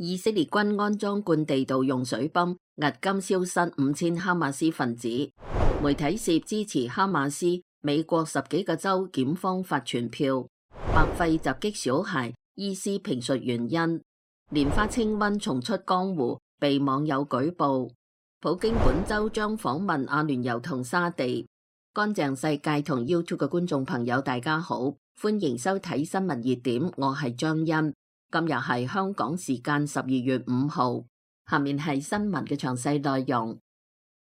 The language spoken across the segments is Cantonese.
以色列軍安裝灌地道用水泵，押金消失5000哈馬斯分子。媒體涉支持哈馬斯，美國10幾個州檢方發傳票。白費襲擊小孩，醫師評述原因。蓮花清瘟重出江湖，被網友舉報。普京本周將訪問阿聯酋同沙地。乾淨世界同 YouTube 嘅觀眾朋友大家好，歡迎收睇新聞熱點，我係張欣。今日係香港時間12月5號，下面係新聞嘅詳細內容。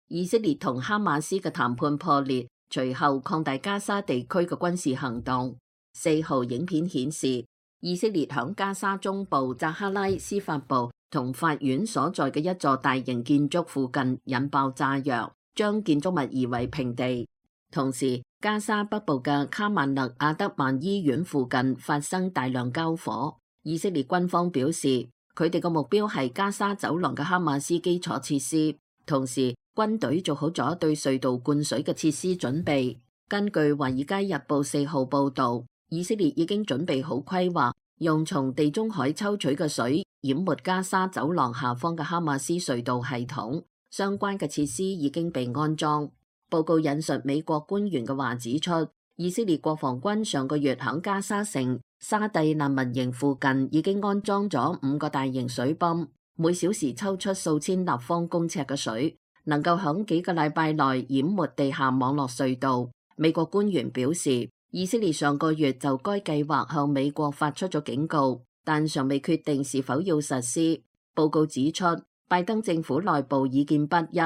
以色列同哈馬斯嘅談判破裂，隨後擴大加沙地區嘅軍事行動。4號影片顯示，以色列響加沙中部扎哈拉司法部同法院所在嘅一座大型建築附近引爆炸藥，將建築物夷為平地。同時，加沙北部嘅卡曼勒阿德曼醫院附近發生大量交火。以色列軍方表示，佢哋嘅目標係加沙走廊嘅哈馬斯基礎設施，同時軍隊做好咗對隧道灌水嘅設施準備。根據《華爾街日報》4號報導，以色列已經準備好規劃，用從地中海抽取嘅水淹沒加沙走廊下方嘅哈馬斯隧道系統，相關嘅設施已經被安裝。報告引述美國官員嘅話指出，以色列國防軍上個月響加沙城沙地難民營附近已經安裝咗5個大型水泵，每小時抽出數千立方公尺嘅水，能夠響幾個禮拜內淹沒地下網絡隧道。美國官員表示，以色列上個月就該計劃向美國發出咗警告，但尚未決定是否要實施。報告指出，拜登政府內部意見不一，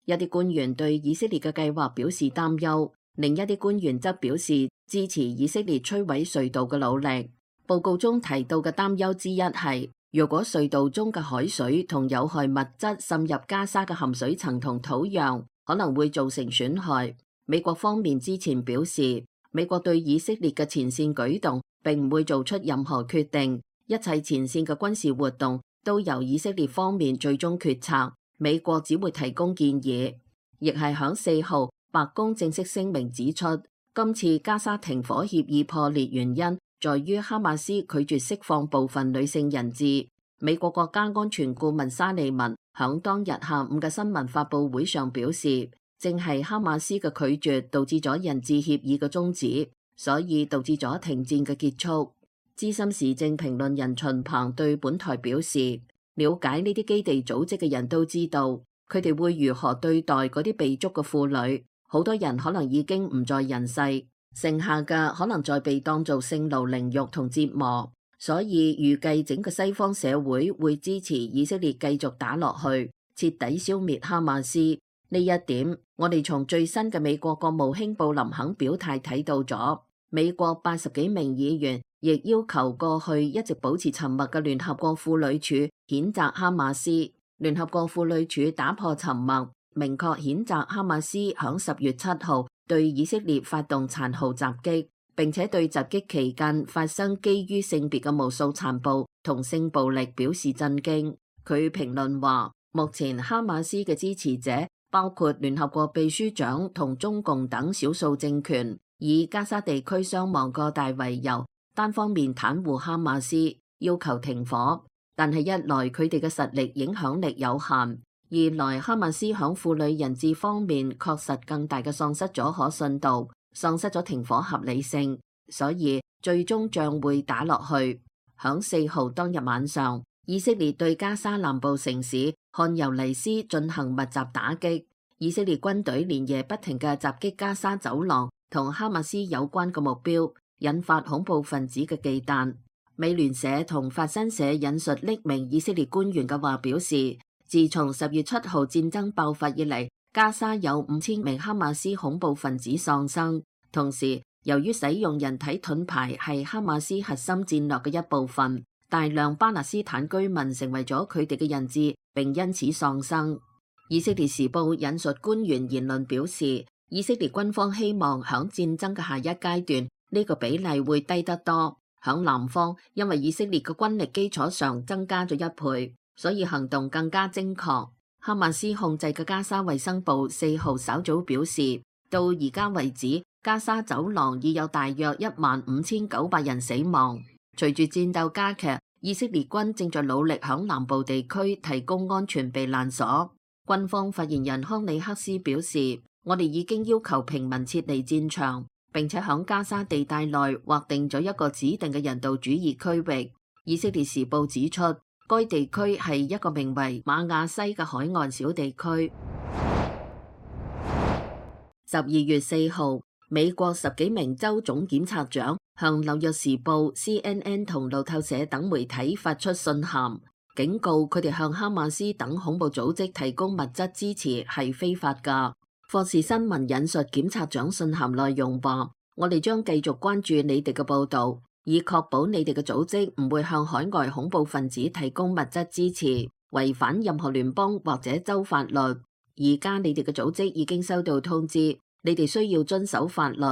一啲官員對以色列嘅計劃表示擔憂，另一啲官員則表示支持以色列摧毀隧道嘅努力。報告中提到嘅擔憂之一係，如果隧道中嘅海水同有害物質滲入加沙嘅含水層同土壤，可能會造成損害。美國方面之前表示，美國對以色列嘅前線舉動並唔會做出任何決定，一切前線嘅軍事活動都由以色列方面最終決策，美國只會提供建議。亦係響4號，白宮正式聲明指出，今次加沙停火協議破裂原因在於哈馬斯拒絕釋放部分女性人質。美國國家安全顧問沙利文響當日下午嘅新聞發佈會上表示，正係哈馬斯嘅拒絕導致咗人質協議嘅終止，所以導致咗停戰嘅結束。資深時政評論人秦鵬對本台表示，了解呢啲基地組織嘅人都知道，佢哋會如何對待嗰啲被捉嘅婦女，好多人可能已經唔在人世，剩下嘅可能再被當做性奴凌辱同折磨，所以預計整個西方社會會支持以色列繼續打落去，徹底消滅哈馬斯。呢一點，我哋從最新嘅美國國務卿布林肯表態睇到咗。美國80幾名議員亦要求過去一直保持沉默嘅聯合國婦女署譴責哈馬斯。聯合國婦女署打破沉默，明確譴責哈馬斯響10月7號對以色列發動殘酷襲擊，並且對襲擊期間發生基於性別嘅無數殘暴同性暴力表示震驚。佢評論話，目前哈馬斯嘅支持者包括聯合國秘書長同中共等少數政權，以加沙地區傷亡過大為由，單方面袒護哈馬斯，要求停火。但係一來佢哋嘅實力影響力有限，二來哈馬斯響婦女人質方面確實更大嘅喪失咗可信度，喪失咗停火合理性，所以最終將會打落去。響4號當日晚上，以色列對加沙南部城市漢尤尼斯進行密集打擊，以色列軍隊連夜不停嘅襲擊加沙走廊同哈馬斯有關嘅目標，引發恐怖分子嘅忌憚。美聯社同法新社引述匿名以色列官員嘅話表示，自從10月7號戰爭爆發以嚟，加沙有5000名哈馬斯恐怖分子喪生。同時，由於使用人體盾牌係哈馬斯核心戰略嘅一部分，大量巴勒斯坦居民成為咗佢哋嘅人質，並因此喪生。以色列時報引述官員言論表示，以色列軍方希望響戰爭嘅下一階段，呢個比例會低得多。響南方，因為以色列嘅軍力基礎上增加咗1倍，所以行動更加精確。哈馬斯控制嘅加沙衛生部4號稍早表示，到而家為止，加沙走廊已有大約15900人死亡。隨住戰鬥加劇，以色列軍正在努力響南部地區提供安全避難所。軍方發言人康里克斯表示，我哋已經要求平民撤離戰場，並且響加沙地帶內劃定咗一個指定嘅人道主義區域。以色列時報指出，該地區係一個名為馬亞西嘅海岸小地區。12月4號，美國10幾名州總檢察長向紐約時報、CNN 同路透社等媒體發出信函，警告佢哋向哈馬斯等恐怖組織提供物質支持係非法㗎。霍士新聞引述檢察長信函內容話：我哋將繼續關注你哋嘅報導，以確保你哋嘅組織唔會向海外恐怖分子提供物質支持，違反任何聯邦或者州法律。而家你哋嘅組織已經收到通知，你哋需要遵守法律。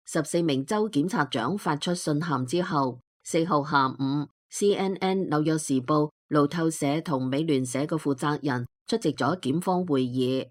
14名州檢察長發出信函之後，4號下午 CNN、紐約時報、路透社同美聯社嘅負責人出席咗檢方會議。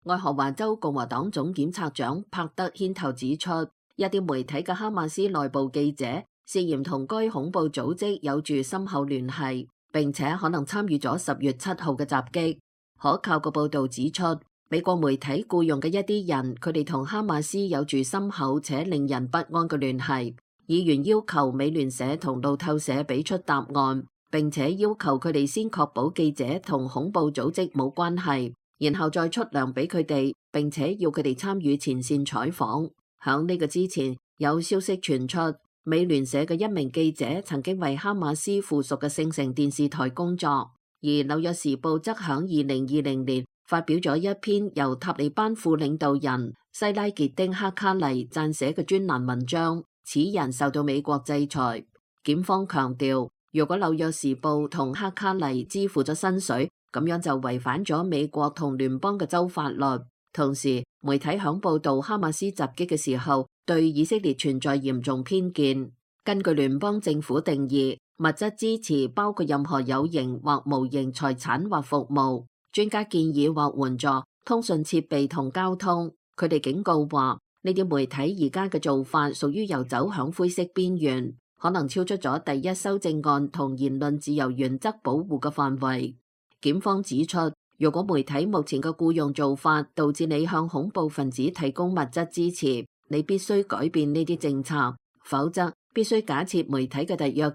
愛荷華州共和黨總檢察長帕德牽頭指出，一啲媒體嘅哈馬斯內部記者涉嫌同該恐怖組織有住深厚聯繫，並且可能參與咗10月7號嘅襲擊。可靠嘅報導指出，美國媒體僱用嘅一啲人，佢哋同哈馬斯有住深厚且令人不安嘅聯繫。議員要求美聯社同路透社俾出答案，並且要求佢哋先確保記者同恐怖組織冇關係，然後再出糧俾佢哋，並且要佢哋參與前線採訪。響呢個之前，有消息傳出，美聯社嘅一名記者曾經為哈馬斯附屬嘅聖城電視台工作。而紐約時報則響2020年發表咗一篇由塔利班副領導人西拉傑丁哈卡尼撰寫嘅專欄文章，此人受到美國制裁。檢方強調，如果紐約時報同哈卡尼支付咗薪水，咁樣就違反咗美國同聯邦嘅州法律。同時，媒體響報道哈馬斯襲擊嘅時候，對以色列存在嚴重偏見。根據聯邦政府定義，物質支持包括任何有形或無形財產或服務、專家建議或援助、通訊設備同交通。佢哋警告話，呢啲媒體而家嘅做法屬於遊走響灰色邊緣，可能超出咗第一修正案同言論自由原則保護嘅範圍。檢方指出，如果媒體目前嘅僱用做法導致你向恐怖分子提供物質支持，你必須改變呢啲政策，否則必須假設媒體嘅特約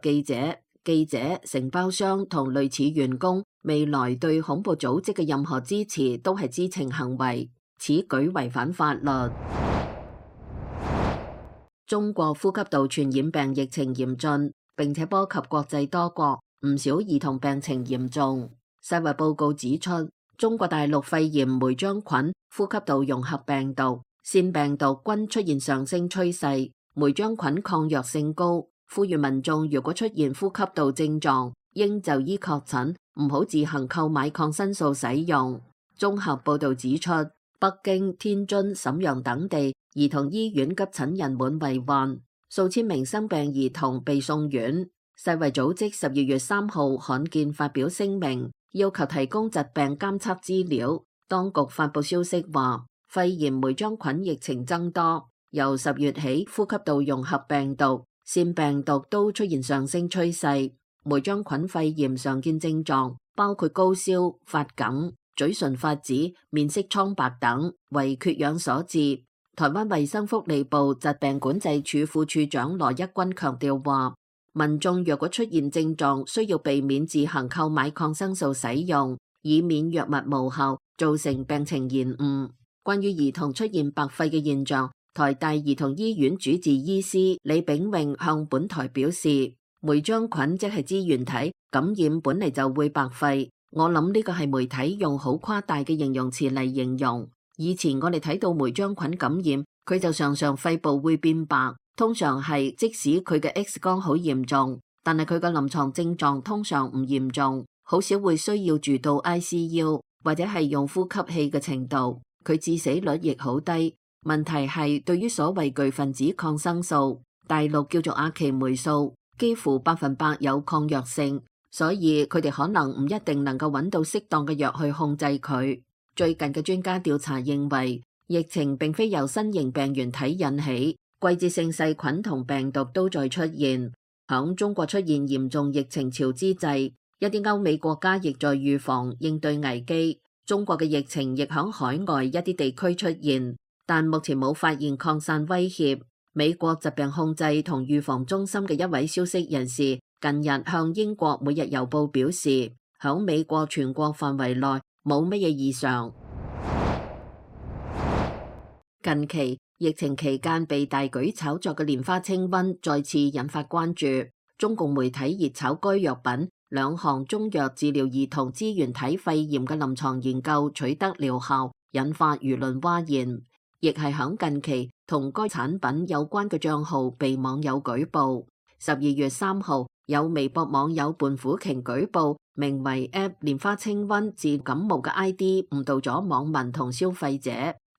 記者、承包商同類似員工未來對恐怖組織嘅任何支持都係知情行為，此舉違反法律。中國呼吸道傳染病疫情嚴峻，並且波及國際多國，唔少兒童病情嚴重。世衛報告指出，中國大陸肺炎梅漿菌、呼吸道融合病毒、腺病毒均出現上升趨勢，梅漿菌抗藥性高，呼籲民眾如果出現呼吸道症狀，應就醫確診，唔好自行購買抗生素使用。綜合報導指出，北京、天津、瀋陽等地兒童醫院急診人滿為患，數千名生病兒童被送院。世衛組織12月3號罕見發表聲明，要求提供疾病監測資料。當局發布消息話，肺炎梅漿菌疫情增多，由10月起，呼吸道融合病毒、腺病毒都出現上升趨勢。梅漿菌肺炎常見症狀包括高燒、發梗、嘴唇發紫、面色蒼白等，為缺氧所致。台灣衛生福利部疾病管制處副處長羅一鈞強調話，民眾若果出現症狀，需要避免自行購買抗生素使用，以免藥物無效，造成病情延誤。關於兒童出現白肺嘅現象，台大兒童醫院主治醫師李炳榮向本台表示，梅漿菌即係支原體，感染本嚟就會白肺。我諗呢個係媒體用好誇大嘅形容詞嚟形容。以前我哋睇到梅漿菌感染，佢就常常肺部會變白，通常係即使佢嘅 X 光好嚴重，但係佢嘅臨床症狀通常唔嚴重，好少會需要住到 ICU 或者係用呼吸器嘅程度。佢致死率亦好低。問題係對於所謂巨分子抗生素，大陸叫做阿奇霉素，幾乎100%有抗藥性，所以佢哋可能唔一定能夠揾到適當嘅藥去控制佢。最近嘅專家調查認為，疫情並非由新型病原體引起，季節性細菌同病毒都在出現。響中國出現嚴重疫情潮之際，一啲歐美國家亦在預防應對危機。中國嘅疫情亦響海外一啲地區出現，但目前冇發現擴散威脅。美國疾病控制同預防中心嘅一位消息人士近日向英國每日郵報表示，響美國全國範圍內冇乜嘢異常。近期疫情期間被大舉炒作嘅蓮花清瘟再次引發關注，中共媒體熱炒該藥品兩項中藥治療兒童支原體肺炎嘅臨床研究取得療效，引發輿論譁然。亦係響近期同該產品有關嘅賬號被網友舉報。12月3號，有微博網友胖虎鯨舉報名為 App 蓮花清瘟治感冒嘅 ID 誤導咗網民同消費者，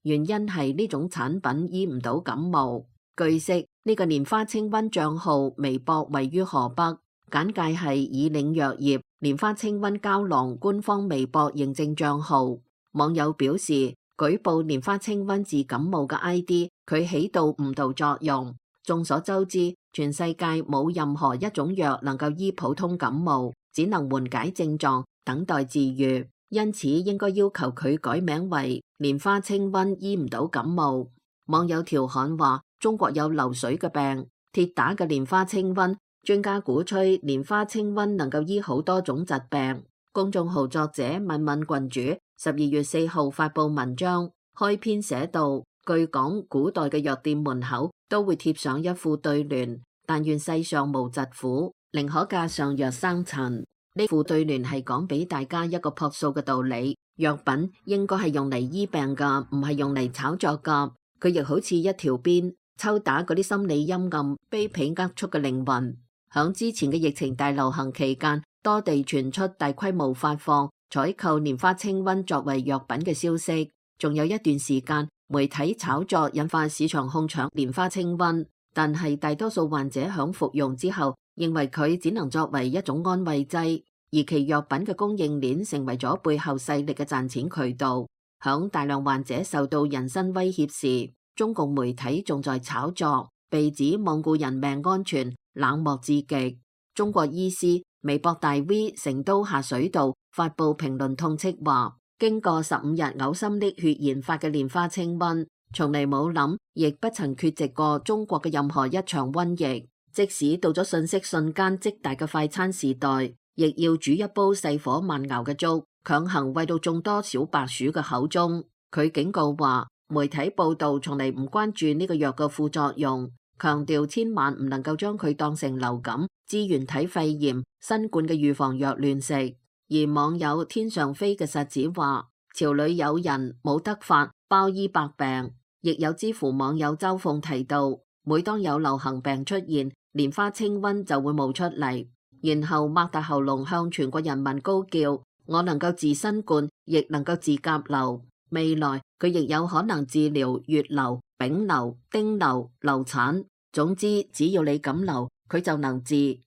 原因係呢種產品醫唔到感冒。據悉，呢個蓮花清瘟賬號微博位於河北，簡介係以領藥業蓮花清瘟膠囊官方微博認證賬號。網友表示，舉報蓮花清瘟治感冒嘅 ID， 佢起到誤導作用。眾所周知，全世界冇任何一種藥能夠醫普通感冒，只能緩解症狀，等待治愈。因此應該要求佢改名為蓮花清瘟醫唔到感冒。網友調侃話，中國有流水嘅病，鐵打嘅蓮花清瘟。專家鼓吹蓮花清瘟能夠醫好多種疾病。公眾號作者敏敏郡主12月4號發布文章，開篇寫道：據講，古代嘅藥店門口都會貼上一副對聯，但願世上無疾苦，寧可架上藥生塵。呢副對聯係講俾大家一個樸素嘅道理，藥品應該係用嚟醫病噶，唔係用嚟炒作噶。佢亦好似一條鞭，抽打嗰啲心理陰暗、卑鄙齷齪嘅靈魂。響之前嘅疫情大流行期間，多地傳出大規模發放、採購蓮花清瘟作為藥品嘅消息。仲有一段時間，媒體炒作引發市場哄搶蓮花清瘟，但係大多數患者響服用之後，認為佢只能作為一種安慰劑，而其藥品嘅供應鏈成為咗背後勢力嘅賺錢渠道。響大量患者受到人身威脅時，中共媒體仲在炒作，被指罔顧人命安全，冷漠至極。中國醫師微博大 V 成都下水道發布評論痛斥話，經過15日嘔心瀝血研發嘅蓮花清瘟，從嚟冇諗，亦不曾缺席過中國嘅任何一場瘟疫。即使到咗信息瞬間即大嘅快餐時代，亦要煮一煲細火慢熬嘅粥，強行餵到眾多小白鼠嘅口中。佢警告話，媒體報道從嚟唔關注呢個藥嘅副作用，強調千萬唔能夠將佢當成流感、支原體肺炎、新冠嘅預防藥亂食。而網友天上飛嘅實子話，朝裏有人冇得法，包醫百病。亦有知乎網友周鳳提到，每當有流行病出現，蓮花清瘟就會冒出嚟，然後擘大喉嚨向全國人民高叫，我能夠治新冠，亦能夠治甲流。未來佢亦有可能治療乙流、丙流、丁流、流產。總之，只要你敢流，佢就能治。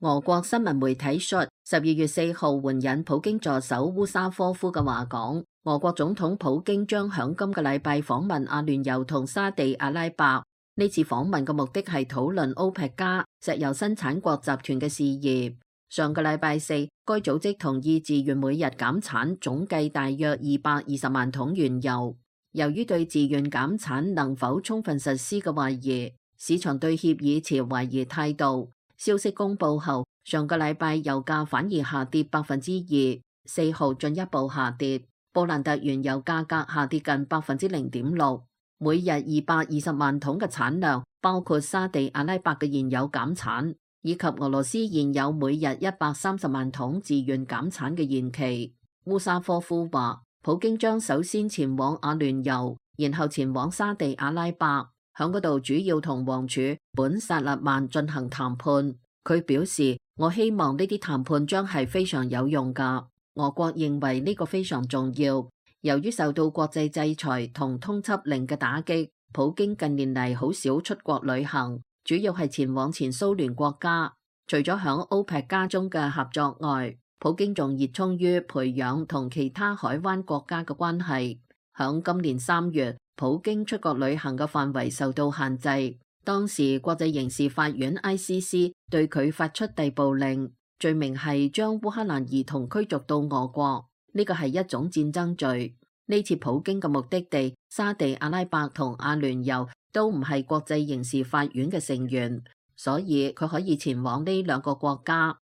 俄國新聞媒體 SHUT 12月4號援引普京助手烏沙科夫嘅話講，俄國總統普京將響今個禮拜訪問阿聯酋同沙地阿拉伯。呢次訪問嘅目的係討論歐佩克加石油生產國集團嘅事業。上個禮拜四，該組織同意自願每日減產總計大約220萬桶原油。由於對自願減產能否充分實施嘅懷疑，市場對協議持懷疑態度。消息公佈後，上個禮拜油價反而下跌2%，4號進一步下跌。布蘭特原油價格下跌近0.6%，每日220萬桶嘅產量，包括沙地阿拉伯嘅現有減產，以及俄羅斯現有每日130萬桶自願減產嘅延期。烏沙科夫話，普京將首先前往阿聯酋，然後前往沙地阿拉伯，響嗰度主要同王儲本薩勒曼進行談判。佢表示，我希望呢啲談判將係非常有用㗎。俄國認為呢個非常重要。由於受到國際制裁同通緝令嘅打擊，普京近年嚟好少出國旅行，主要係前往前蘇聯國家。除咗響歐佩克加中嘅合作外，普京仲熱衷於培養同其他海灣國家嘅關係。響今年3月，普京出國旅行嘅範圍受到限制。當時國際刑事法院 ICC 對佢發出逮捕令，罪名係將烏克蘭兒童驅逐到俄國，呢個係一種戰爭罪。呢次普京嘅目的地沙地阿拉伯同阿聯酋都唔係國際刑事法院嘅成員，所以佢可以前往呢兩個國家。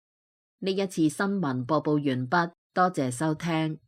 呢一次新聞播報完畢，多謝收聽。